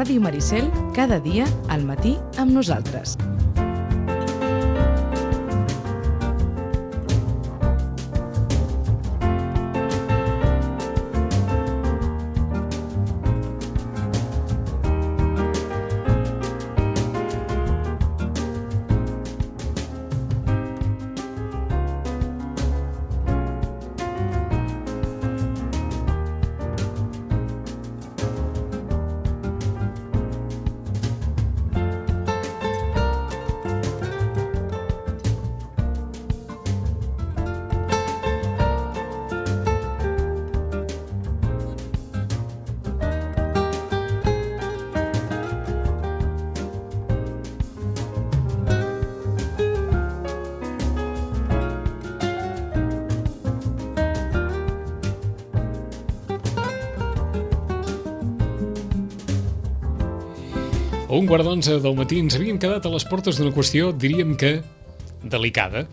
Ràdio Maricel, cada dia al matí amb nosaltres. A 11:15 del matí ens havíem quedat a les portes d'una qüestió, diríem que delicada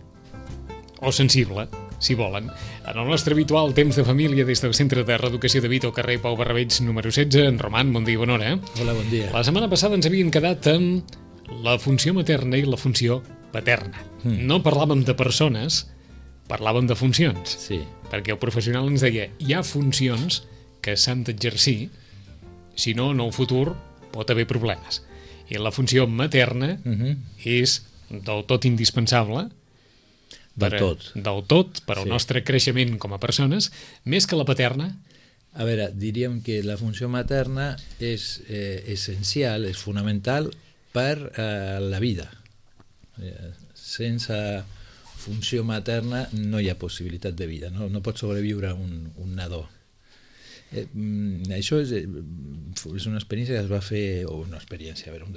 o sensible, si volen. En el nostre habitual temps de família des del Centre de Reeducació de Vita al carrer Pau Barrabeig número 16, en Roman, bon dia i bona hora. Hola, bon dia. La setmana passada ens havíem quedat amb la funció materna i la funció paterna. No parlàvem de persones, parlàvem de funcions. Sí. Perquè el professional ens deia, hi ha funcions que s'han d'exercir, si no, en el futur pot haver problemes. I la funció materna és del tot indispensable Del tot, per al nostre creixement com a persones, més que la paterna. A veure, diríem que la funció materna és essencial, és fonamental per la vida. Sense funció materna no hi ha possibilitat de vida, no pot sobreviure un nadó. Això és una experiència que es va fer, o una experiència, a veure, un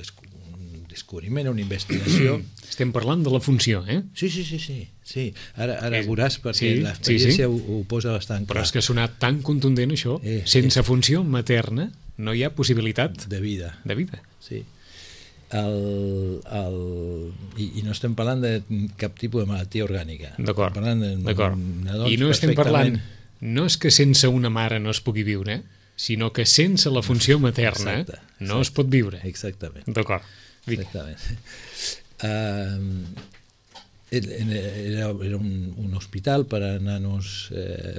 descobriment, una investigació. Estem parlant de la funció, eh? Sí. Ara veuràs perquè l'experiència ho posa bastant clar. Però és que ha sonat tan contundent això. Sense funció materna no hi ha possibilitat de vida. Sí. I no estem parlant de cap tipus de malaltia orgànica. D'acord. I no estem parlant, no és que sense una mare no es pugui viure, sinó que sense la funció materna no es pot viure. Exactament. D'acord. Exactament. Era un hospital per a nanos,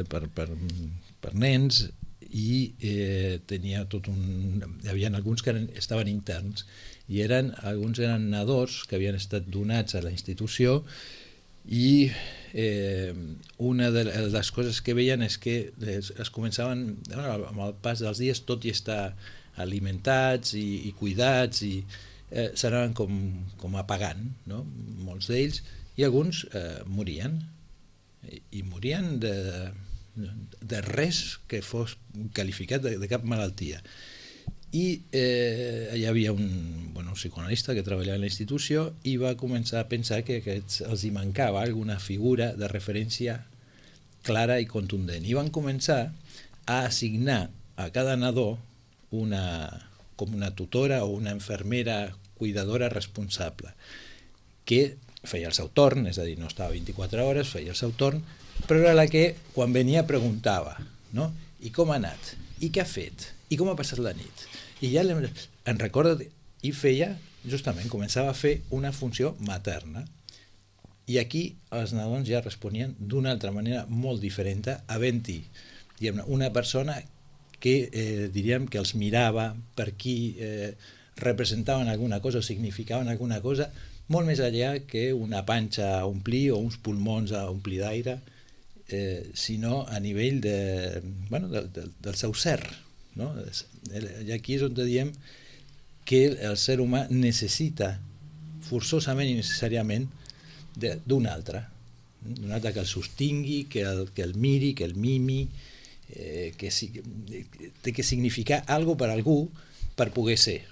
per nens, i tenia tot un... Hi havia alguns que estaven interns i alguns eren nadons que havien estat donats a la institució, i una de les coses que veien és que es començaven, amb el pas dels dies, tot i estar alimentats i cuidats, i s'anaven com apagant, no? Molts d'ells, i alguns morien, i morien de res que fos qualificat de cap malaltia. I hi havia un psicoanalista que treballava a la institució i va començar a pensar que els hi mancava alguna figura de referència clara i contundent. I van començar a assignar a cada nadó com una tutora o una infermera cuidadora responsable, que feia el seu torn, és a dir, no estava 24 hores, feia el seu torn, però era la que, quan venia, preguntava, no? I com ha anat? I què ha fet? I com ha passat la nit? I ja en recorda, i feia, justament, començava a fer una funció materna. I aquí els nadons ja responien d'una altra manera molt diferent, havent-hi una persona que diríem que els mirava, per qui representaven alguna cosa o significaven alguna cosa, molt més enllà que una panxa a omplir o uns pulmons a omplir d'aire, sinó a nivell del seu ser. No? I aquí és on diem que el ser humà necessita forçosament i necessàriament d'un altre que el sostingui, que el miri, que el mimi, que té que significar alguna cosa per algú per poder ser,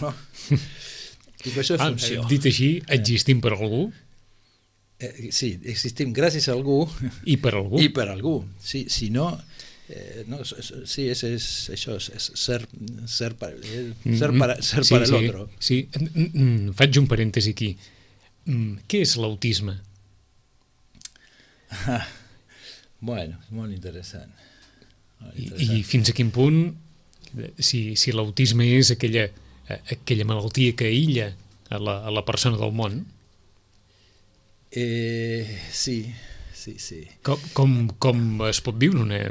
no? I per això és funció. Dit així, existim per algú? Sí, existim gràcies a algú i per algú. Sí, si no, sí, és això, és ser per l'altre. Sí, faig un parèntesi aquí. Què és l'autisme? Bueno, és molt interessant. I fins a quin punt si l'autisme és aquella malaltia que aïlla a la persona del món. Sí. Com es pot viure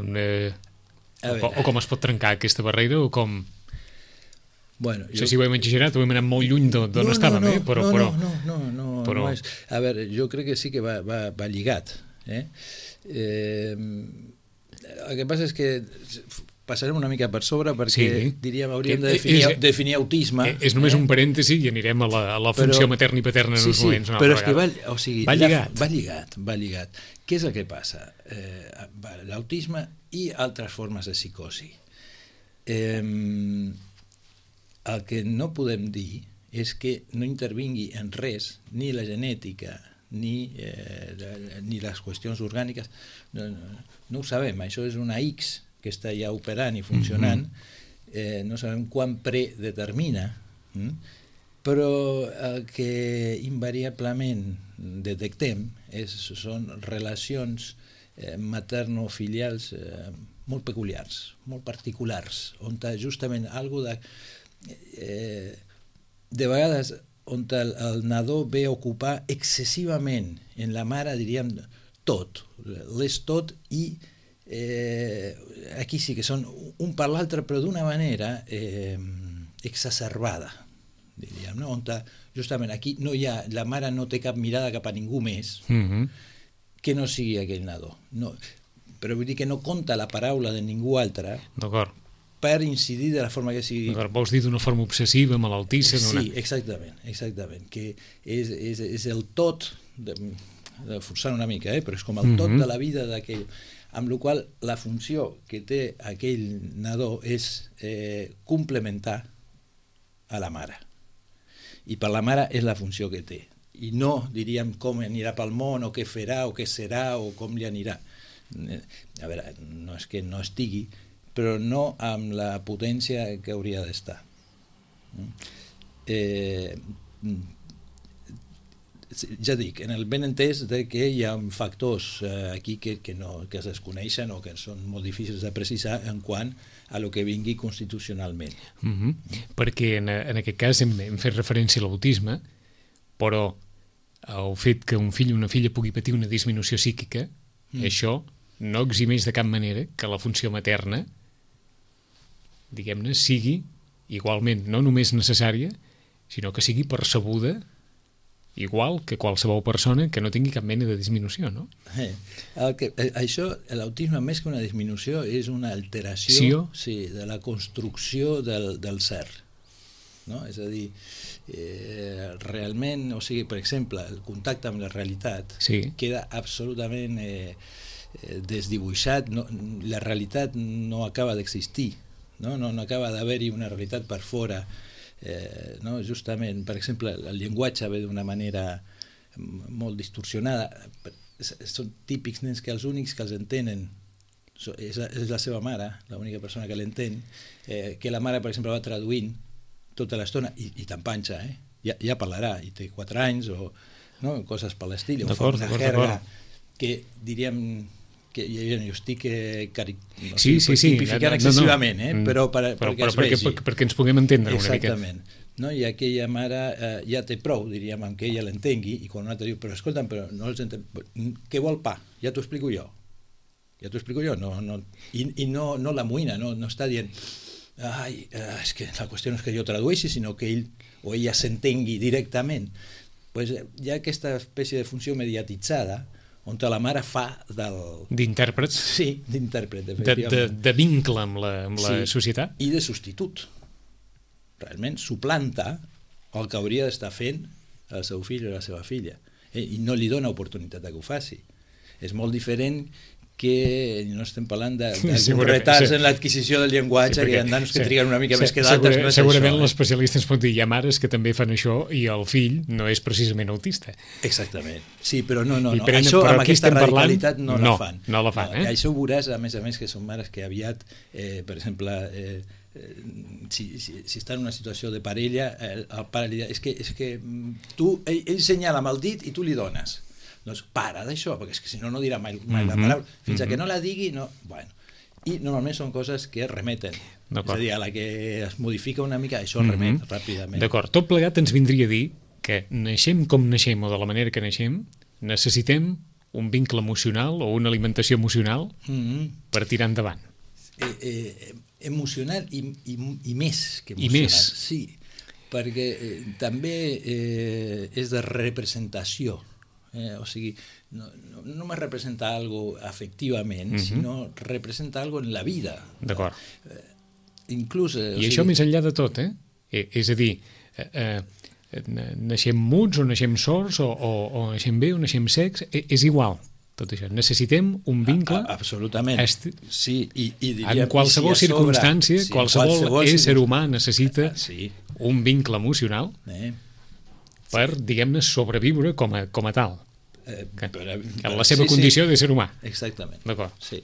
o com es pot trencar aquesta barrera, o com... Bueno, no sé si ho hem exagerat o hem anat molt lluny d'on estàvem, però... No és... A veure, jo crec que sí que va lligat. El que passa és que passarem una mica per sobre perquè, diríem, hauríem de definir autisme. És només un parèntesi i anirem a la funció materna i paterna en uns moments. Però és que va lligat. Què és el que passa? L'autisme i altres formes de psicosi. El que no podem dir és que no intervingui en res, ni la genètica, ni les qüestions orgàniques. No ho sabem, això és una X que està ja operant i funcionant, no sabem quan predetermina, però el que invariablement detectem són relacions materno-filials molt peculiars, molt particulars, on justament alguna de vegades on el nadó ve a ocupar excessivament en la mare, diríem, tot, l'és tot, i aquí sí que són un per l'altre, però d'una manera exacerbada, diríem, no? On justament aquí la mare no té cap mirada cap a ningú més que no sigui aquell nadó, però vull dir que no compta la paraula de ningú altre. D'acord. Per incidir de la forma que sigui... Vols dir d'una forma obsessiva, malaltissa? Sí, exactament, que és el tot, forçant una mica, però és com el tot de la vida d'aquell, amb la qual la funció que té aquell nadó és complementar a la mare. I per la mare és la funció que té. I no, diríem, com anirà pel món, o què farà, o què serà, o com li anirà. A veure, no és que no estigui, però no amb la potència que hauria d'estar. Ja dic, en el ben entès que hi ha factors aquí que es desconeixen o que són molt difícils de precisar en quant a lo que vingui constitucionalment. Perquè en aquest cas hem fet referència a l'autisme, però el fet que un fill o una filla pugui patir una disminució psíquica, això no eximeix de cap manera que la funció materna, diguem-ne, sigui igualment no només necessària, sinó que sigui percebuda igual que qualsevol persona que no tingui cap mena de disminució, no? Això, l'autisme, més que una disminució, és una alteració de la construcció del ser. És a dir, realment, o sigui, per exemple, el contacte amb la realitat queda absolutament desdibuixat, la realitat no acaba d'existir, no acaba d'haver-hi una realitat per fora, justament, per exemple, el llenguatge ve d'una manera molt distorsionada, són típics nens que els únics que els entenen és la seva mare, l'única persona que l'entén, que la mare, per exemple, va traduint tota l'estona, i t'empanxa, ja parlarà, i té 4 anys, o coses per l'estil, o fa una jerga que diríem que jo estic tipificant excessivament, però perquè es vegi. Perquè ens puguem entendre una mica. Exactament. I aquella mare ja té prou, diríem, amb que ella l'entengui, i quan un altre diu, però escolta'm, però no els entenc, què vol pa? Ja t'ho explico jo. I no l'amoïna, no està dient, és que la qüestió no és que jo tradueixi, sinó que ell o ella s'entengui directament. Hi ha aquesta espècie de funció mediatitzada on la mare fa d'intèrpret. Sí, d'intèrpret, efectivament. De vincle amb la societat. I de substitut. Realment suplanta el que hauria d'estar fent el seu fill o la seva filla. I no li dona oportunitat que ho faci. És molt diferent que no estem parlant d'alguns retards en l'adquisició del llenguatge, que hi ha nanos que triguen una mica més que d'altres. Segurament l'especialista ens pot dir, hi ha mares que també fan això i el fill no és precisament autista. Exactament. Sí, però no. Això amb aquesta radicalitat no la fan. No la fan, Això ho veuràs, a més, que són mares que aviat, per exemple, si està en una situació de parella, el pare li diu, és que ell senyala amb el dit i tu li dones. Doncs para d'això, perquè és que si no dirà mai la paraula. Fins que no la digui, no... Bueno, i normalment són coses que remeten. És D'acord. a dir, a la que es modifica una mica, això remet ràpidament. D'acord, tot plegat ens vindria a dir que naixem com naixem o de la manera que naixem, necessitem un vincle emocional o una alimentació emocional per tirar endavant. Emocional i més que I emocional. més. Sí, perquè també és de representació. O sigui, no només representa algo afectivament, sinó representa algo en la vida. D'acord. Inclús... I això més enllà de tot, És a dir, naixem muts o naixem sords o naixem bé o naixem secs, és igual. Tot això. Necessitem un vincle... Absolutament. Sí, i diríem, en qualsevol circumstància, qualsevol ésser humà necessita un vincle emocional per, diguem-ne, sobreviure com a tal. Que en la seva condició de ser humà. Exactament. D'acord. Sí.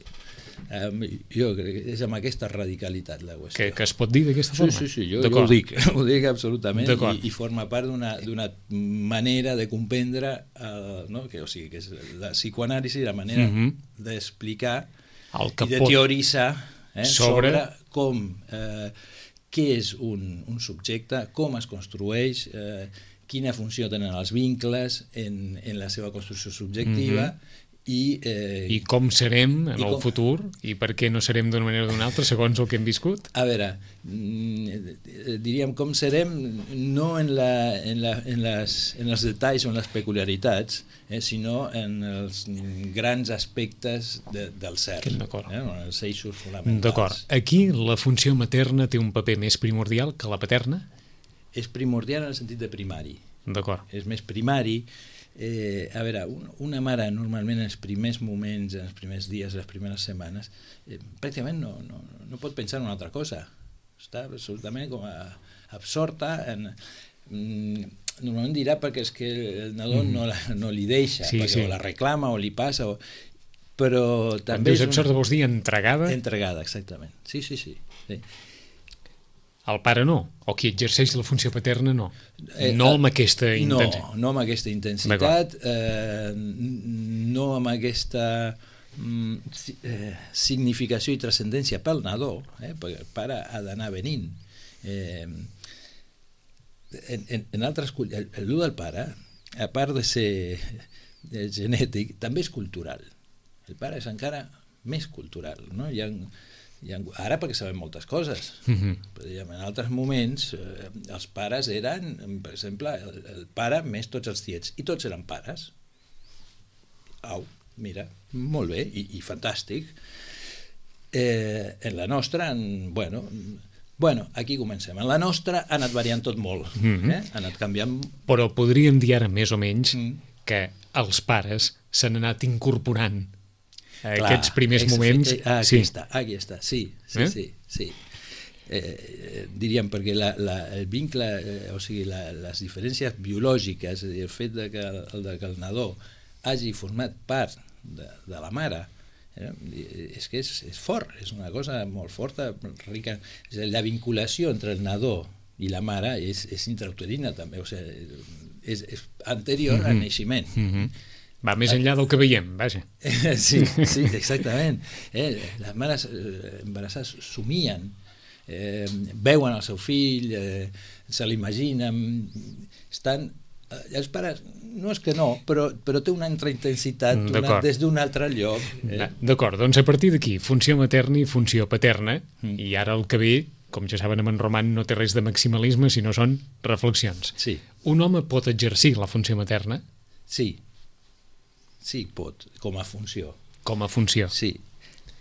Jo crec que és amb aquesta radicalitat la qüestió. Que es pot dir d'aquesta forma? Sí, jo ho dic absolutament i forma part d'una manera de comprendre, o sigui, que és la psicoanàlisi, la manera d'explicar i de teoritzar sobre com, què és un subjecte, com es construeix, quina funció tenen els vincles en la seva construcció subjectiva i com serem en el futur i per què no serem d'una manera o d'una altra segons el que hem viscut? A veure, diríem com serem no en els detalls o en les peculiaritats, sinó en els grans aspectes del ser, en els eixos fonamentals. D'acord. Aquí la funció materna té un paper més primordial que la paterna? És primordial en el sentit de primari. D'acord. És més primari. A veure, una mare normalment en els primers moments, en els primers dies, les primeres setmanes, pràcticament no pot pensar en una altra cosa. Està absolutament com absorta normalment dirà perquè és que el nadó no li deixa, perquè o la reclama o li passa, però també... Quan dius absorta vols dir entregada? Entregada, exactament. Sí. El pare no, o qui exerceix la funció paterna no. No amb aquesta intensitat. No amb aquesta intensitat, no amb aquesta significació i transcendència pel nadó, perquè el pare ha d'anar venint. En altres... El del pare, a part de ser genètic, també és cultural. El pare és encara més cultural, no? Ara perquè sabem moltes coses, però en altres moments els pares eren, per exemple, el pare més tots els tiets, i tots eren pares. Au, mira, molt bé, i fantàstic. En la nostra, bueno, aquí comencem. En la nostra ha anat variant tot molt, ha anat canviant. Però podríem dir ara més o menys que els pares s'han anat incorporant aquests primers moments... Aquí està, sí. Diríem, perquè el vincle, o sigui, les diferències biològiques, el fet que el nadó hagi format part de la mare, és que és fort, és una cosa molt forta, rica. La vinculació entre el nadó i la mare és intrauterina també, o sigui, és anterior al naixement. Va més enllà del que veiem, vaja. Sí, exactament. Les mares embarassades somien, veuen el seu fill, se l'imaginen, estan... Els pares, no és que no, però té una altra intensitat des d'un altre lloc. D'acord, doncs a partir d'aquí, funció materna i funció paterna, i ara el que ve, com ja saben, en Roman no té res de maximalisme, sinó són reflexions. Sí. Un home pot exercir la funció materna? Sí, pot, com a funció. Com a funció. Sí.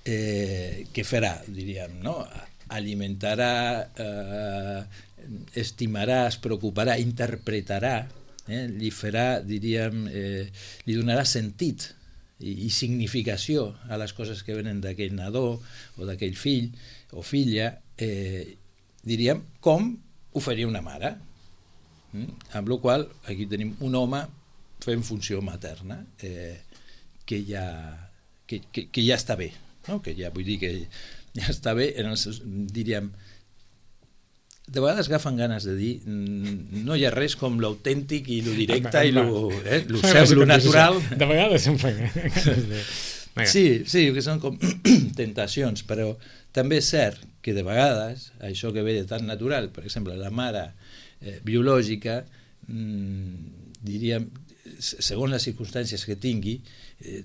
Què farà, diríem, no? Alimentarà, estimarà, es preocuparà, interpretarà, li farà, diríem, li donarà sentit i significació a les coses que venen d'aquell nadó o d'aquell fill o filla, diríem, com ho faria una mare. Amb la qual cosa, aquí tenim un home fent funció materna, que ja està bé, no? Que ja vull dir que ja està bé, diríem, de vegades agafen ganes de dir no hi ha res com l'autèntic i lo directe i lo natural. De vegades em fa Sí, que són com tentacions, però també és cert que de vegades això que ve de tan natural, per exemple, la mare biològica, diríem, segons les circumstàncies que tingui,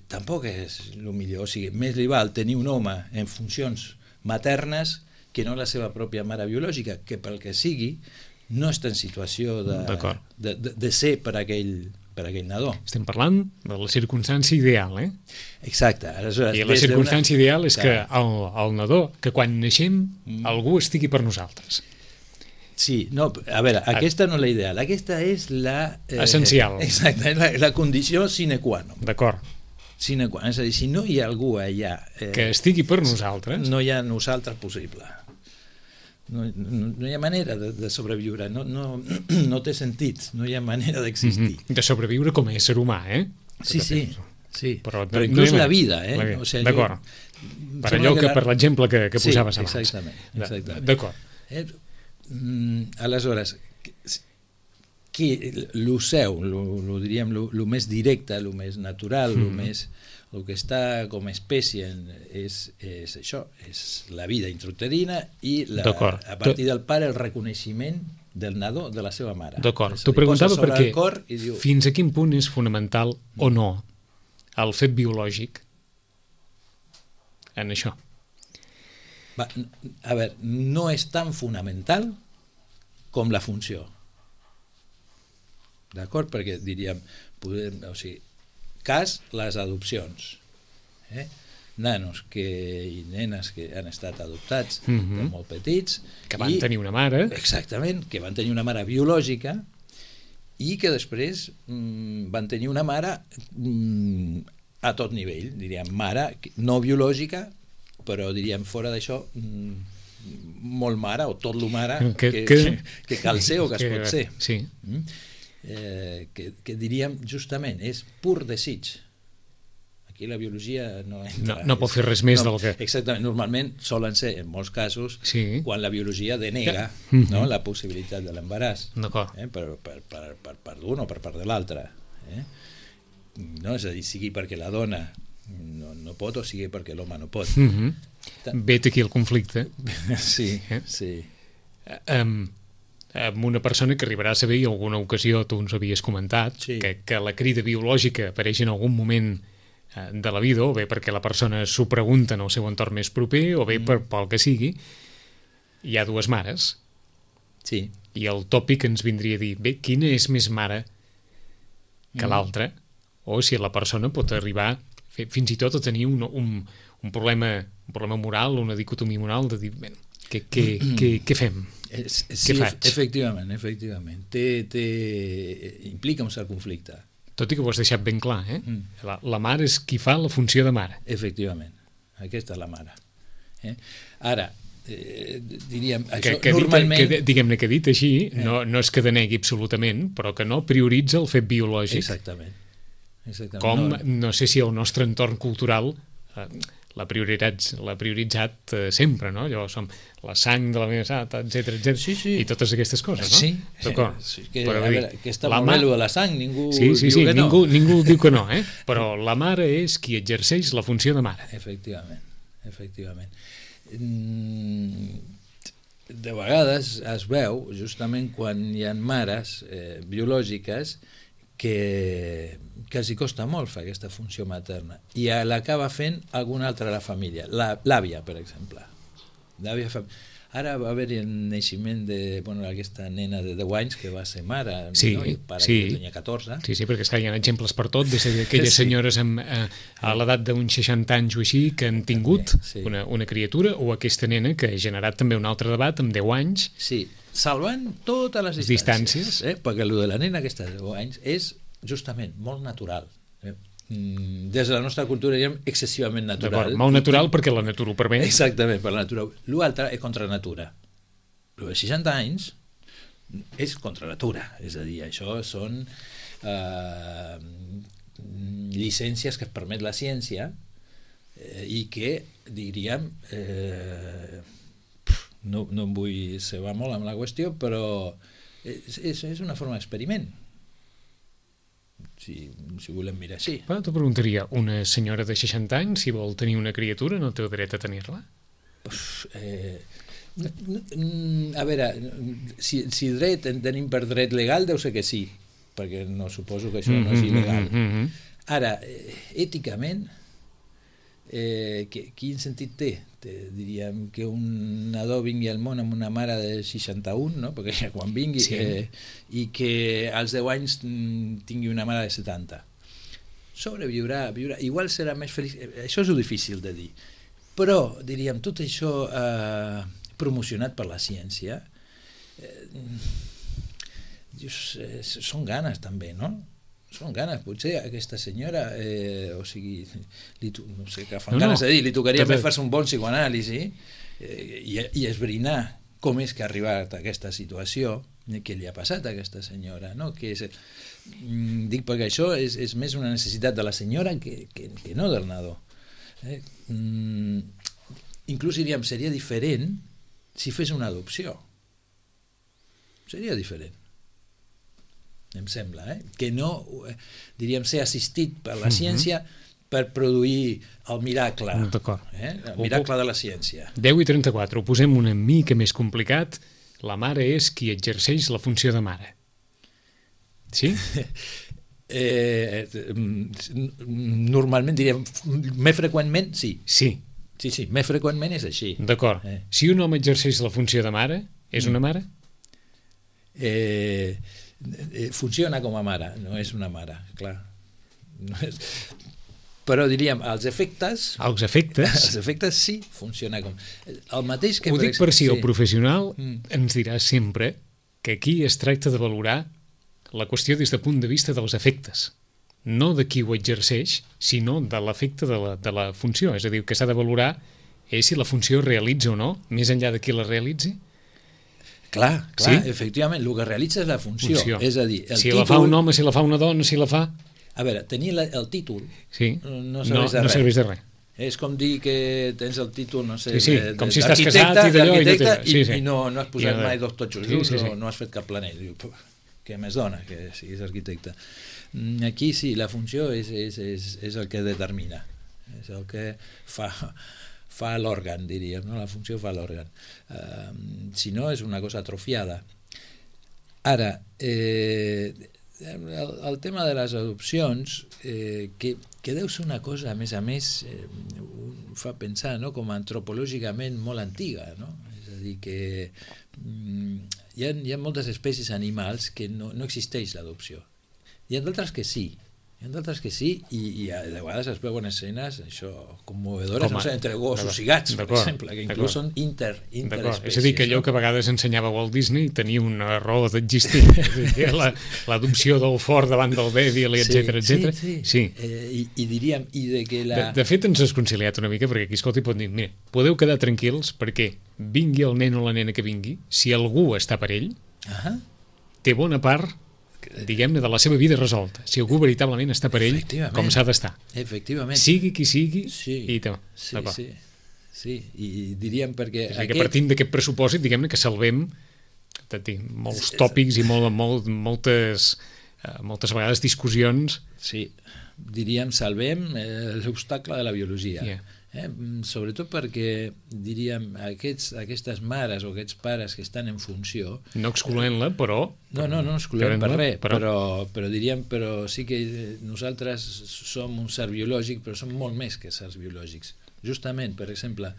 tampoc és el millor. O sigui, més li val tenir un home en funcions maternes que no la seva pròpia mare biològica, que pel que sigui no està en situació de ser per aquell nadó. Estem parlant de la circumstància ideal, Exacte. Aleshores, i la circumstància ideal és que el nadó, que quan naixem algú estigui per nosaltres. Sí, no, a veure, aquesta no és la ideal, aquesta és la... essencial. Exacte, és la condició sine qua non. D'acord. Sine qua non, és a dir, si no hi ha algú allà... que estigui per nosaltres... No hi ha nosaltres possible. No hi ha manera de sobreviure, no té sentit, no hi ha manera d'existir. De sobreviure com a ésser humà, Sí. Però no inclús la vida, O sigui, d'acord. Per allò per l'exemple que posaves abans. Exactament. D'acord. Aleshores, el seu, diríem, el més directe, el més natural, el que està com a espècie és això, és la vida intrauterina i a partir del pare el reconeixement del nadó de la seva mare. D'acord, t'ho preguntava perquè fins a quin punt és fonamental o no el fet biològic en això? A veure, no és tan fonamental com la funció. D'acord? Perquè diríem, cas, les adopcions. Nanos i nenes que han estat adoptats de molt petits. Que van tenir una mare. Exactament, que van tenir una mare biològica i que després van tenir una mare a tot nivell, diríem, mare no biològica, però diríem fora d'això molt mare o tot lo mare que cal ser o que es pot ser. Sí. Que diríem justament és pur desig. Aquí la biologia no entra. No pot fer res més del que... Exactament, normalment solen ser en molts casos quan la biologia denega la possibilitat de l'embaràs per part d'un o per part de l'altre. És a dir, sigui perquè la dona no pot o sigui perquè l'home no pot. Vet aquí el conflicte. Sí. Amb una persona que arribarà a saber, i alguna ocasió tu ens havies comentat, que la crida biològica apareix en algun moment de la vida, o bé perquè la persona s'ho pregunta en el seu entorn més proper, o bé pel que sigui. Hi ha dues mares. Sí. I el tòpic ens vindria a dir, bé, quina és més mare que l'altra? O si la persona pot arribar fins i tot a tenir un problema moral, una dicotomia moral de dir, bé, què fem? Sí, efectivament. Implica un cert conflicte. Tot i que ho has deixat ben clar, La mare és qui fa la funció de mare. Efectivament, aquesta és la mare. Ara, diríem, això normalment... Diguem-ne que dit així, no és que denegui absolutament, però que no prioritza el fet biològic. Exactament. Com, no sé si el nostre entorn cultural l'ha prioritzat sempre, no? Allò som la sang de la meva sat, etc. Sí. I totes aquestes coses, no? Sí. D'acord. Que està molt bé de la sang, ningú diu que no. Ningú diu que no, però la mare és qui exerceix la funció de mare. Efectivament. De vegades es veu, justament quan hi ha mares biològiques, que els hi costa molt fer aquesta funció materna i l'acaba fent alguna altra de la família, l'àvia, per exemple. Ara va haver-hi el naixement d'aquesta nena de 10 anys que va ser mare, i pare que tenia 14. Sí, perquè hi ha exemples per tot, des d'aquelles senyores a l'edat d'uns 60 anys o així que han tingut una criatura, o aquesta nena que ha generat també un altre debat amb 10 anys. Sí, salvant totes les distàncies. Perquè el de la nena aquesta de 10 anys és justament molt natural. Des de la nostra cultura diríem excessivament natural. Molt natural perquè la natura ho permet. Exactament, per la natura. L'altre és contra natura. El de 60 anys és contra natura. És a dir, això són llicències que es permet la ciència i que, diríem, no em vull cebar molt amb la qüestió, però és una forma d'experiment. si volem mirar així. Però t'ho preguntaria, una senyora de 60 anys, si vol tenir una criatura, no té dret a tenir-la? A veure, si dret en tenim per dret legal, deu ser que sí, perquè no suposo que això no és il·legal. Ara, èticament, quin sentit té? Diríem que un nadó vingui al món amb una mare de 61, no? Perquè quan vingui, i que als 10 anys tingui una mare de 70. Sobreviurà, igual serà més feliç. Això és difícil de dir. Però, diríem, tot això promocionat per la ciència, són ganes també, no? Són ganes, potser aquesta senyora, o sigui, no sé què fan ganes de dir, li tocaria més fer-se un bon psicoanàlisi i esbrinar com és que ha arribat a aquesta situació, què li ha passat a aquesta senyora, no? Dic perquè això és més una necessitat de la senyora que no del nadó. Inclús diríem, seria diferent si fes una adopció. Seria diferent. Em sembla, que no, diríem, ser assistit per la ciència per produir el miracle. El miracle de la ciència. 10:34, ho posem una mica més complicat. La mare és qui exerceix la funció de mare. Sí? Normalment, diríem, més freqüentment, sí. Sí. Sí, més freqüentment és així. D'acord. Si un home exerceix la funció de mare, és una mare? Funciona com a mare, no és una mare, clar. Però diríem, als efectes... Als efectes sí, funciona com... El mateix que... Ho dic per si el professional ens dirà sempre que aquí es tracta de valorar la qüestió des del punt de vista dels efectes, no de qui ho exerceix, sinó de l'efecte de la funció. És a dir, que s'ha de valorar és si la funció es realitza o no, més enllà de qui la realitzi. Clar, efectivament, el que realitza és la funció. És a dir, si la fa un home, si la fa una dona, si la fa... A veure, tenir el títol no serveix de res. És com dir que tens el títol, no sé, com si estàs casat i d'allò i no has posat mai dos totxos junts o no has fet cap planell. Què més dona que siguis arquitecte? Aquí sí, la funció és el que determina, és el que fa l'òrgan, diríem, no? La funció fa l'òrgan. Si no, és una cosa atrofiada. Ara, el tema de les adopcions, que deu ser una cosa, a més, fa pensar, no? Com antropològicament molt antiga, no? És a dir, que hi ha moltes espècies animals que no existeix l'adopció. Hi ha d'altres que sí, i a vegades es veuen escenes commovedores, no sé, entre gossos i gats, per exemple, que inclús són interespècies. És a dir, que allò que a vegades ensenyava Walt Disney tenia una raó d'existir, l'adopció del fort davant del dèbil, etcètera. Sí. I diríem, de fet ens has conciliat una mica, perquè aquí, escolta, pot dir, mira, podeu quedar tranquils perquè vingui el nen o la nena que vingui, si algú està per ell, té bona part, diguem-ne, de la seva vida resolta, si algú veritablement està per ell com s'ha d'estar. Efectivament. Sigui qui sigui, i diríem perquè... Que partint d'aquest pressupòsit, diguem-ne, que salvem molts tòpics i moltes vegades discussions. Sí, diríem, salvem l'obstacle de la biologia. Sobretot perquè, diríem, aquestes mares o aquests pares que estan en funció... No excloent-la, però... No excloent per res, però diríem, però sí que nosaltres som un ser biològic, però som molt més que sers biològics. Justament, per exemple,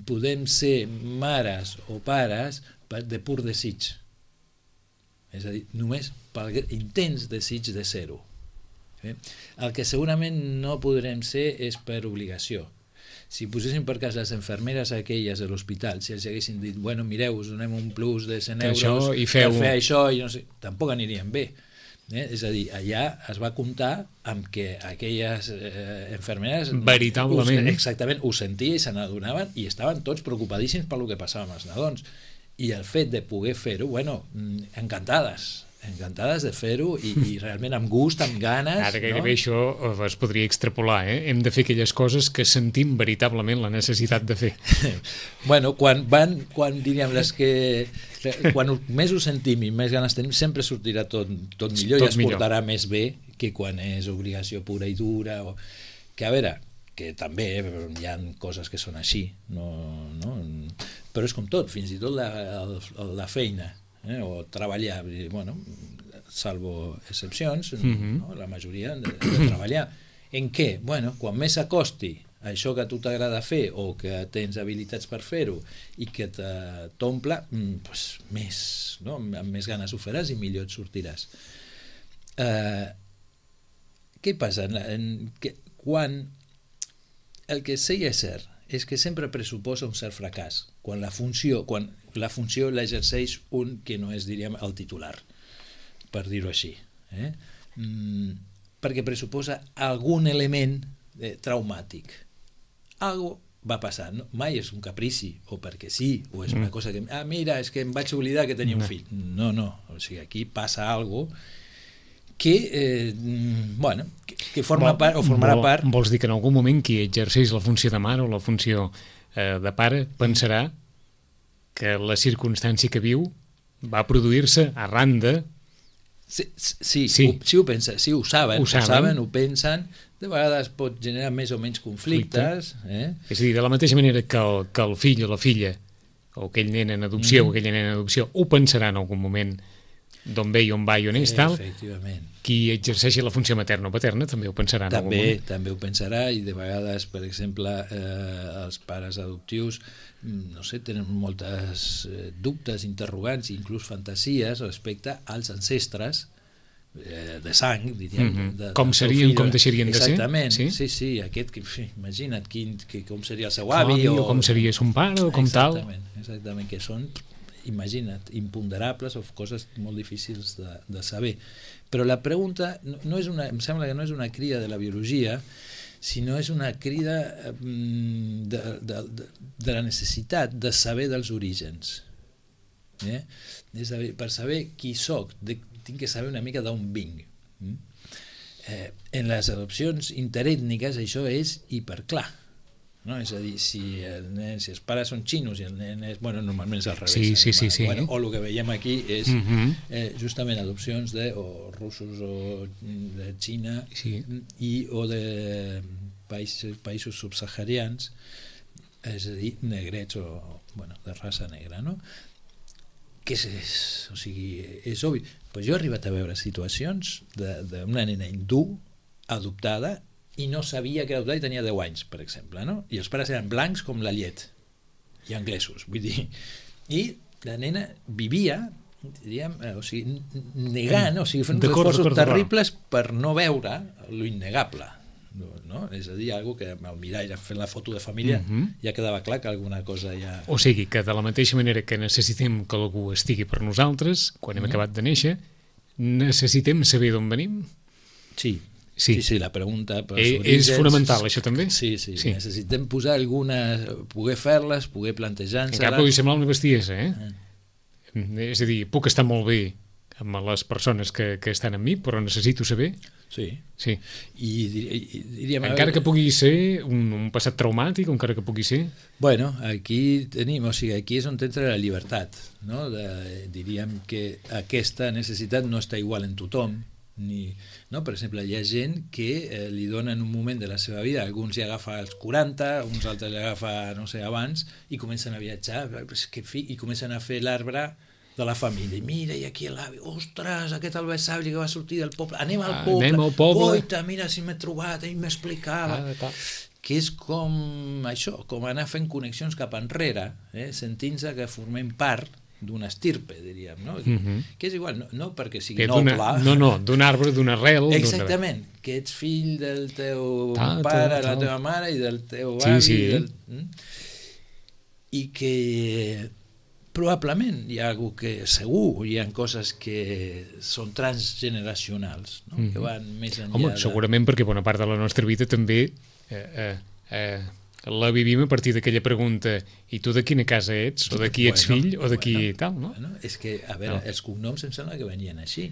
podem ser mares o pares de pur desig. És a dir, només per intens desig de ser-ho. El que segurament no podrem ser és per obligació. Si poséssim per cas les infermeres aquelles de l'hospital, si els haguessin dit, bueno, mireu, us donem un plus de 100 euros per fer això, i no sé, tampoc anirien bé. És a dir, allà es va comptar amb que aquelles infermeres veritablement exactament ho sentien i se n'adonaven i estaven tots preocupadíssims per el que passava amb els nadons. I el fet de poder fer-ho, bueno, encantades de fer-ho i realment amb gust, amb ganes. Ara gairebé això es podria extrapolar, Hem de fer aquelles coses que sentim veritablement la necessitat de fer. Bueno, quan diríem quan més ho sentim i més ganes tenim, sempre sortirà tot millor i es portarà més bé que quan és obligació pura i dura, que a veure, que també hi ha coses que són així, no? Però és com tot, fins i tot la feina, o treballar, bueno, salvo excepcions, no? La majoria de treballar. En què? Bueno, quan més s'acosti això que a tu t'agrada fer o que tens habilitats per fer-ho i que t'omple, doncs més, no? Amb més ganes ho faràs i millor et sortiràs. Què passa? Quan el que sí és cert és que sempre pressuposa un cert fracàs quan la funció l'exerceix un que no és, diríem, el titular, per dir-ho així, perquè pressuposa algun element traumàtic. Algo va passar, mai és un caprici o perquè sí, o és una cosa que mira, és que em vaig oblidar que tenia un fill. No, o sigui, aquí passa algo que bueno, que forma part o formarà part. Vols dir que en algun moment qui exerceix la funció de mare o la funció de pare pensarà que la circumstància que viu va produir-se arran de... Sí, ho pensen, sí, ho saben, ho pensen, de vegades pot generar més o menys conflictes. És a dir, de la mateixa manera que el fill o la filla, o aquell nen en adopció o aquella nena en adopció, ho pensarà en algun moment d'on ve i on va i on és, tal. Efectivament. Qui exerceixi la funció materna o paterna també ho pensarà en algun moment. També ho pensarà, i de vegades, per exemple, els pares adoptius, no sé, tenen moltes dubtes, interrogants, inclús fantasies respecte als ancestres de sang, diríem. Com serien, com deixarien de ser. Exactament, sí, aquest, imagina't com seria el seu avi, o com seria son pare, o com tal. Exactament, que són, imagina't, imponderables o coses molt difícils de saber. Però la pregunta no és em sembla que no és una crida de la biologia, sinó és una crida de la necessitat de saber dels orígens. És a dir, per saber qui soc, tinc que saber una mica d'on vinc. En les adopcions interètniques això és hiperclar. No? És a dir, si els pares són xinos i el nen és... Bueno, normalment és al revés. Sí. Bueno, o el que veiem aquí és justament adopcions de russos o de Xina o de països subsaharians, és a dir, negrets o de raça negra, no? Que és obvi. Pues jo he arribat a veure situacions d'una nena hindú adoptada i no sabia que era adoptada i tenia 10 anys, per exemple, no? I els pares eren blancs com la llet, i anglesos, vull dir. I la nena vivia, diríem, negant, fent uns esforços terribles per no veure lo innegable, no? És a dir, algo que al mirall, fent la foto de família, ja quedava clar que alguna cosa ja... O sigui, que de la mateixa manera que necessitem que algú estigui per nosaltres, quan hem acabat de néixer, necessitem saber d'on venim? Sí, la pregunta... És fonamental, això també? Sí. Necessitem posar algunes... poder fer-les, poder plantejar-se-les... Encara pugui semblar una bestiesa, És a dir, puc estar molt bé amb les persones que estan amb mi, però necessito saber... Sí. I diríem... Encara que pugui ser un passat traumàtic, encara que pugui ser... Bueno, aquí tenim, aquí és on entra la llibertat, no? Diríem que aquesta necessitat no està igual en tothom, no? Per exemple, hi ha gent que li dona en un moment de la seva vida, alguns hi agafa als 40, uns altres li agafa, no sé, abans, i comencen a viatjar, i comencen a fer l'arbre de la família. Mira, i aquí l'avi, ostres, aquest el besavi que va sortir del poble, anem al poble. Oita, mira si m'he trobat, ell m'explicava. Que és com això, com anar fent connexions cap enrere, sentint-se que formem part d'una estirpe, diríem, no? Que és igual, no perquè sigui noble. No, d'un arbre, d'una arrel. Exactament, que ets fill del teu pare, la teva mare i del teu avi. I que probablement hi ha algú que segur hi ha coses que són transgeneracionals, que van més enllà. Home, segurament perquè bona part de la nostra vida també la vivim a partir d'aquella pregunta, i tu de quina casa ets, o de qui ets fill, o de qui tal, no? És que, a veure, els cognoms em sembla que venien així.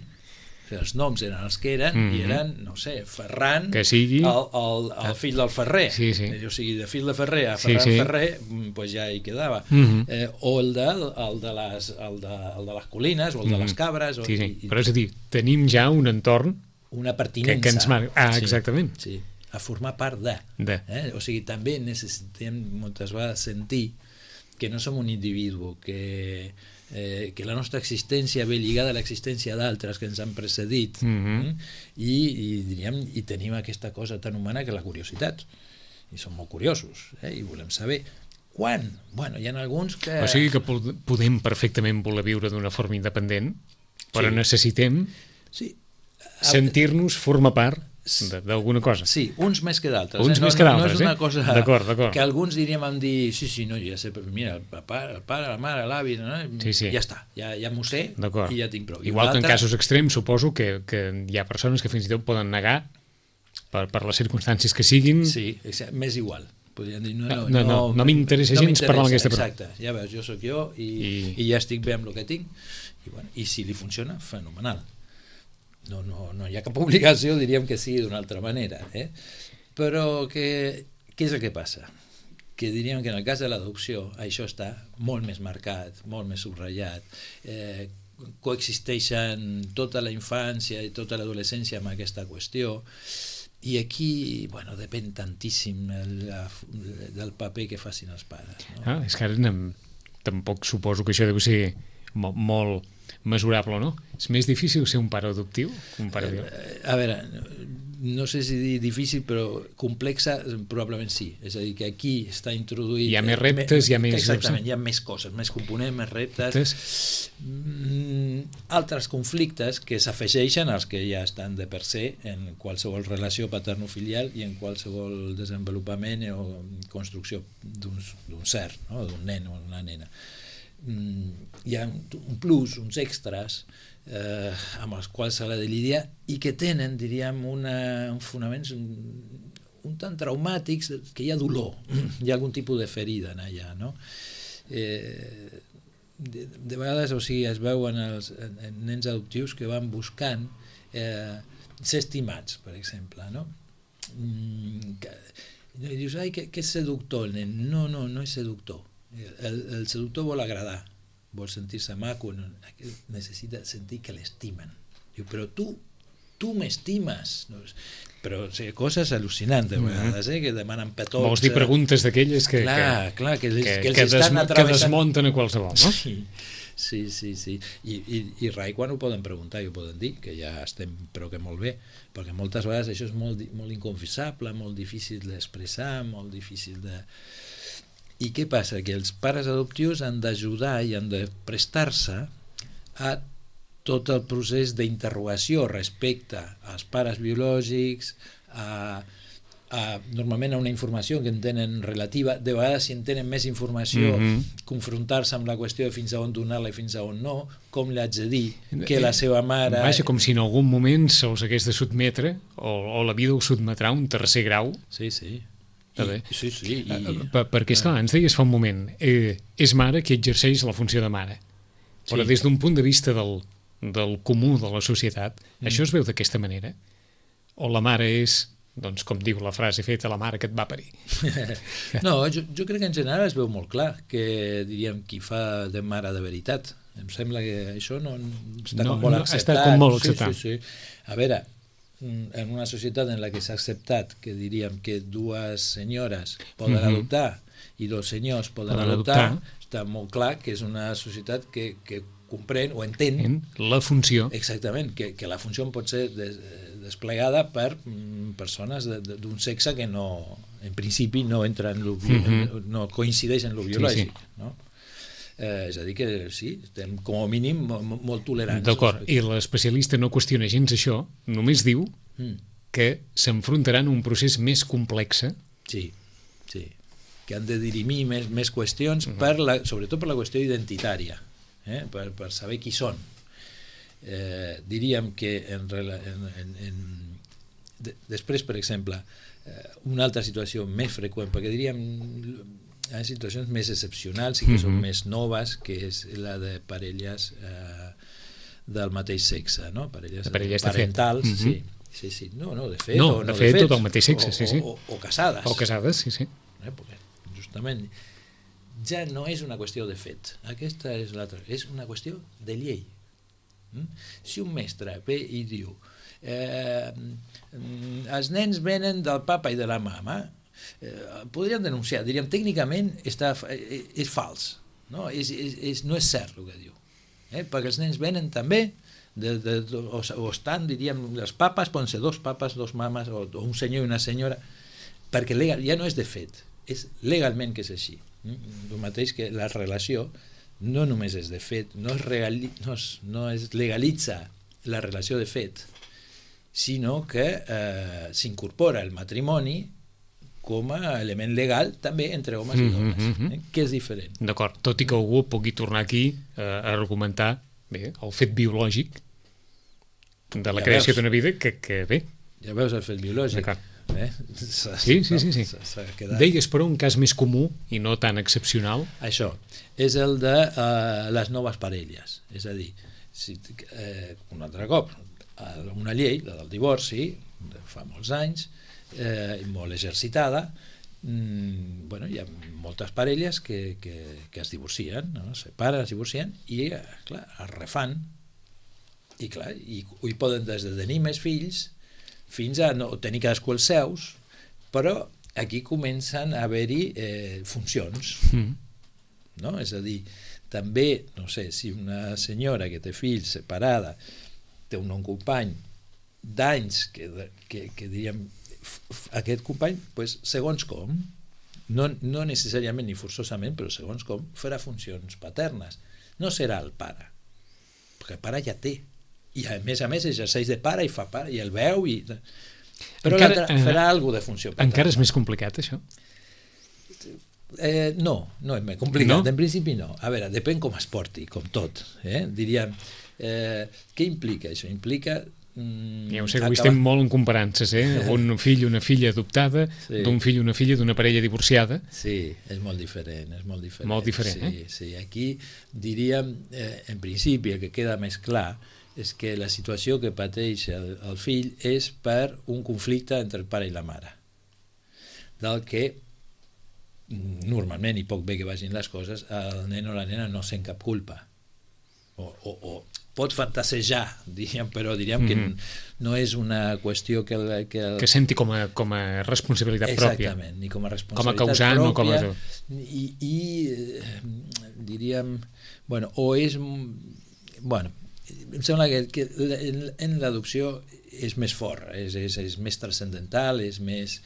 Els noms eren els que eren, i eren, no sé, Ferran, el fill del Ferrer. O sigui, de fill de Ferrer a Ferran Ferrer, doncs ja hi quedava. O el de les colines, o el de les cabres. Però és a dir, tenim ja un entorn una pertinença. Que ens marca. Exactament. Sí, a formar part de. O sigui, també necessitem moltes vegades sentir que no som un individu, que la nostra existència ve lligada a l'existència d'altres que ens han precedit, i tenim aquesta cosa tan humana que la curiositat, i som molt curiosos, i volem saber quan. Bueno, hi ha alguns que... O sigui que podem perfectament voler viure d'una forma independent, però necessitem sentir-nos formar part d'alguna cosa. Sí, uns més que d'altres. Uns més que d'altres, no és una cosa d'acord. Que alguns diríem no, ja sé, mira, el pare, la mare, l'avi, no? Ja està, ja m'ho sé i ja tinc prou. Igual que en casos extrems, suposo que hi ha persones que fins i tot poden negar per les circumstàncies que siguin. Sí, m'és igual. Podrien dir, no m'interessa gens parlar amb aquesta persona. Exacte, ja veus, jo sóc jo i ja estic bé amb el que tinc, i si li funciona, fenomenal. No hi ha cap obligació, diríem que sigui d'una altra manera, però què és el que passa? Que diríem que en el cas de l'adopció això està molt més marcat, molt més subratllat, coexisteixen tota la infància i tota l'adolescència amb aquesta qüestió, i aquí, depèn tantíssim del paper que facin els pares. És que ara tampoc suposo que això deu ser molt mesurable, no? És més difícil ser un pare adoptiu que un pare biològic? A veure, no sé si dir difícil, però complexa probablement sí. És a dir, que aquí està introduït... Hi ha més reptes, hi ha més... Exactament, hi ha més coses, més components, més reptes. Altres conflictes que s'afegeixen als que ja estan de per se en qualsevol relació paterno-filial i en qualsevol desenvolupament o construcció d'un ser, no? D'un nen o una nena. Hi ha un plus, uns extras amb els quals s'ha de lidiar i que tenen, diríem, uns fonaments un tant traumàtics, que hi ha dolor, hi ha algun tipus de ferida allà, no? De vegades, es veuen els nens adoptius que van buscant ser estimats, per exemple, no? I dius, que és seductor el nen. No és seductor. El seductor vol agradar, vol sentir-se maco, necessita sentir que l'estimen. Diu, però tu m'estimes. Però coses al·lucinants de vegades, que demanen petons. Vols dir preguntes d'aquelles que desmunten a qualsevol, no? Sí. I rai quan ho poden preguntar i ho poden dir, que ja estem però que molt bé, perquè moltes vegades això és molt inconfessable, molt difícil d'expressar, molt difícil de... I què passa? Que els pares adoptius han d'ajudar i han de prestar-se a tot el procés d'interrogació respecte als pares biològics, normalment a una informació que en tenen relativa, de vegades si en tenen més informació, confrontar-se amb la qüestió de fins a on donar-la i fins a on no, com li haig de dir que la seva mare... Vaja, com si en algun moment se'ls hagués de sotmetre, o la vida ho sotmetrà un tercer grau. Sí. Sí. Perquè, esclar, ens deies fa un moment, és mare qui exerceix la funció de mare, però des d'un punt de vista del comú de la societat, això es veu d'aquesta manera? O la mare és, doncs, com diu la frase feta, la mare que et va parir? No, jo crec que en general es veu molt clar que, diríem, qui fa de mare de veritat. Em sembla que això no està com molt acceptat. Està com molt acceptat. Sí. A veure, en una societat en la que s'ha acceptat que diríem que dues senyores poden adoptar i dos senyors poden adoptar, està molt clar que és una societat que comprèn o entén la funció. Exactament, que la funció pot ser desplegada per persones d'un sexe que no, en principi no entra no coincideix en lo biològic, no? És a dir que sí, estem com a mínim molt tolerants. D'acord, i l'especialista no qüestiona gens això, només diu que s'enfrontaran a un procés més complex. Sí, que han de dirimir més qüestions, sobretot per la qüestió identitària, per saber qui són. Diríem que després, per exemple, una altra situació més freqüent, perquè diríem hi ha situacions més excepcionals i que són més noves, que és la de parelles del mateix sexe, no? Parelles parentals, sí. No, de fet, o no de fet, tot el mateix sexe, sí. O casades. O casades, sí. Perquè justament ja no és una qüestió de fet, aquesta és l'altra, és una qüestió de llei. Si un mestre ve i diu els nens venen del papa i de la mama, podríem denunciar, diríem, tècnicament és fals, no? No és cert el que diu, perquè els nens venen també o estan, diríem, els papes poden ser dos papes, dos mames o un senyor i una senyora, perquè ja no és de fet, és legalment que és així. El mateix que la relació no només és de fet, no es legalitza la relació de fet, sinó que s'incorpora el matrimoni com a element legal també entre homes i dones, que és diferent. D'acord, tot i que algú pugui tornar aquí a argumentar el fet biològic de la creació d'una vida que bé. Ja veus el fet biològic. D'acord. Sí. Deies, però, un cas més comú i no tan excepcional. Això és el de les noves parelles. És a dir, un altre cop, una llei, la del divorci, fa molts anys, molt exercitada, hi ha moltes parelles que es divorcien, no? Es separen, es divorcien i, clar, es refan. I, clar, i poden des de tenir més fills fins a no tenir cadascú els seus, però aquí comencen a haver-hi funcions, no? És a dir, també, no sé, si una senyora que té fills separada té un company d'anys que diríem, aquest company, segons com, no necessàriament ni forçosament, però segons com, farà funcions paternes. No serà el pare, perquè el pare ja té, i a més exerceix de pare i fa pare i el veu però l'altre farà alguna de funció paterna. Encara és més complicat això? No és més complicat, en principi no. A veure, depèn com es porti, com tot, diríem, què implica això? Implica ja ho sé, avui estem molt en comparances, un fill i una filla adoptada, d'un fill i una filla d'una parella divorciada. Sí, és molt diferent, Molt diferent, Sí, aquí diríem, en principi, el que queda més clar és que la situació que pateix el fill és per un conflicte entre el pare i la mare, del que normalment, i poc bé que vagin les coses, el nen o la nena no sent cap culpa, o pot fantasejar, però diríem que no és una qüestió que senti com a responsabilitat pròpia. Exactament, ni com a responsabilitat com a causant pròpia, o com a... i diríem, o és... em sembla que en l'adopció és més fort, és més transcendental, és més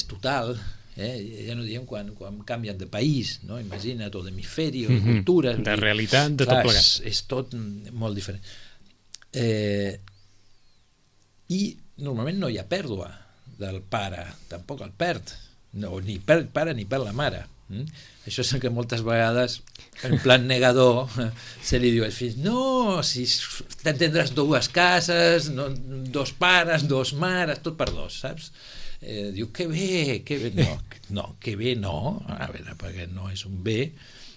total, ja no diem quan canvien de país, no? Imagina't, o d'hemisferi, o de cultura, de realitat, de tot plegat. És tot molt diferent. I normalment no hi ha pèrdua del pare, tampoc el perd, ni per el pare ni per la mare. Això és el que moltes vegades en plan negador se li diu als fills, no, si tindràs dues cases, dos pares, dos mares, tot per dos, saps? Diu, que bé, no, que bé no, a veure, perquè no és un bé,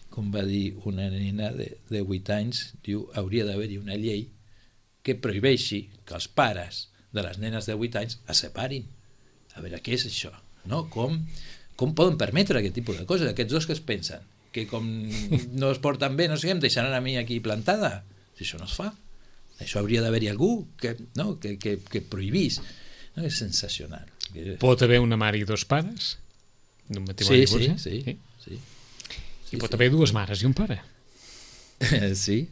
com va dir una nena de 8 anys, diu, hauria d'haver-hi una llei que prohibeixi que els pares de les nenes de 8 anys es separin. A veure, què és això? No? Com poden permetre aquest tipus de coses? Aquests dos que es pensen? Que com no es porten bé, no sé què, em deixaran a mi aquí plantada? Si això no es fa. Això hauria d'haver-hi algú que prohibís. No? És sensacional. Pot haver una mare i dos pares? D'un matrimoni divorciat? Sí. I pot haver dues mares i un pare? Sí.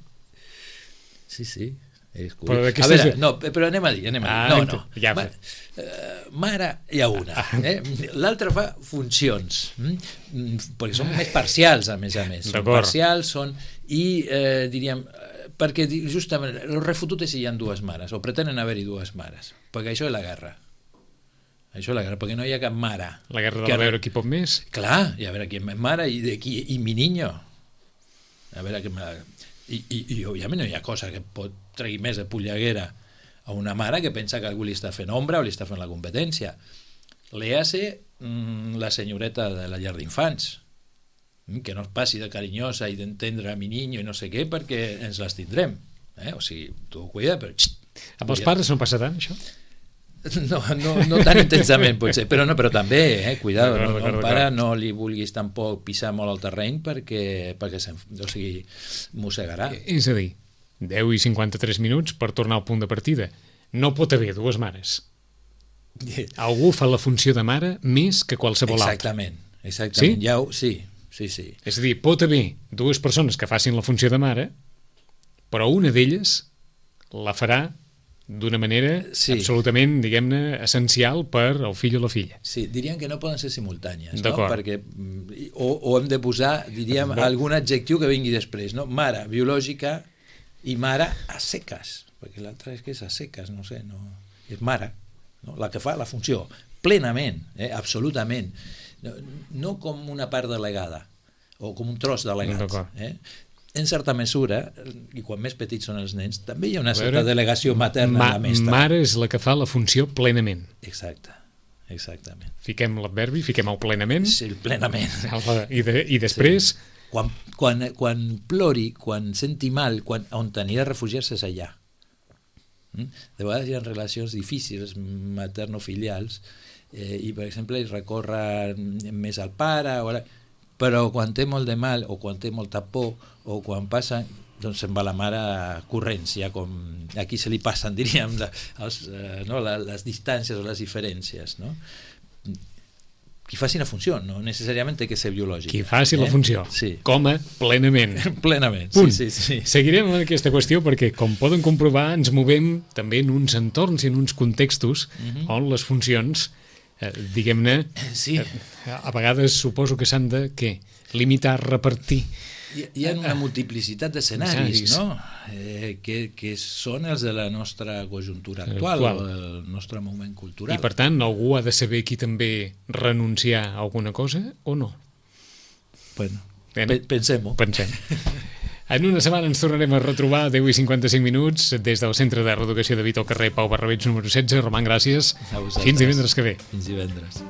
Però a veure, però anem a dir, ja mare hi ha una, l'altra fa funcions, perquè són més parcials, a més, són parcials, diríem, perquè justament el refutut és si hi ha dues mares, o pretenen haver-hi dues mares, perquè això és la guerra, perquè no hi ha cap mare. La guerra de veure qui pot més? Clar, i a veure qui és més mare i mi niño, a veure què i òbviament no hi ha cosa que pot treure més de polleguera a una mare que pensa que algú li està fent ombra o li està fent la competència. Léase la senyoreta de la llar d'infants, que no es passi de carinyosa i d'entendre a mi niño i no sé què, perquè ens les tindrem. O sigui, tu cuida, però... Amb els pares no passa tant, això? No tan intensament, potser, però també, cuidado, al pare no li vulguis tampoc pisar molt al terreny perquè mossegarà. És a dir, 10 i 53 minuts per tornar al punt de partida. no pot haver dues mares. Algú fa la funció de mare més que qualsevol altra. Exactament. Sí? Sí. És a dir, pot haver dues persones que facin la funció de mare, però una d'elles la farà d'una manera absolutament, diguem-ne, essencial per al fill o la filla. Sí, diríem que no poden ser simultànies, no? Perquè, o hem de posar, diríem, algun adjectiu que vingui després, no? Mare biològica i mare a seques, perquè l'altra és que és a seques, no sé, no, és mare, no? La que fa la funció, plenament, absolutament, no com una part delegada, o com un tros delegat, en certa mesura, i quan més petits són els nens, també hi ha una certa delegació materna en la mestra. Mare és la que fa la funció plenament. Exactament. Fiquem l'adverbi, fiquem el plenament. Sí, el plenament. I després... Sí. Quan plori, quan senti mal, on anirà a refugiar-se és allà. De vegades hi ha relacions difícils, materno-filials, i per exemple recorre més al pare, però quan té molt de mal o quan té molta por o quan passa, doncs se'n va la mare corrents, ja com aquí se li passen, diríem, les distàncies o les diferències, no? Qui faci la funció, no necessàriament té que ser biològic. Qui faci la funció, com a plenament. Plenament, sí. Seguirem amb aquesta qüestió perquè, com poden comprovar, ens movem també en uns entorns i en uns contextos on les funcions, diguem-ne, a vegades suposo que s'han de limitar, repartir. Hi ha una multiplicitat d'escenaris, no? Que són els de la nostra conjuntura actual, o el nostre moment cultural. I per tant, algú ha de saber aquí també renunciar a alguna cosa o no? Bueno, pensem-ho. Pensem. En una setmana ens tornarem a retrobar a 10:55 des del Centre de Reeducació de Vita al carrer Pau Barrabeig número 16. Roman, gràcies. Fins divendres que ve. Fins divendres.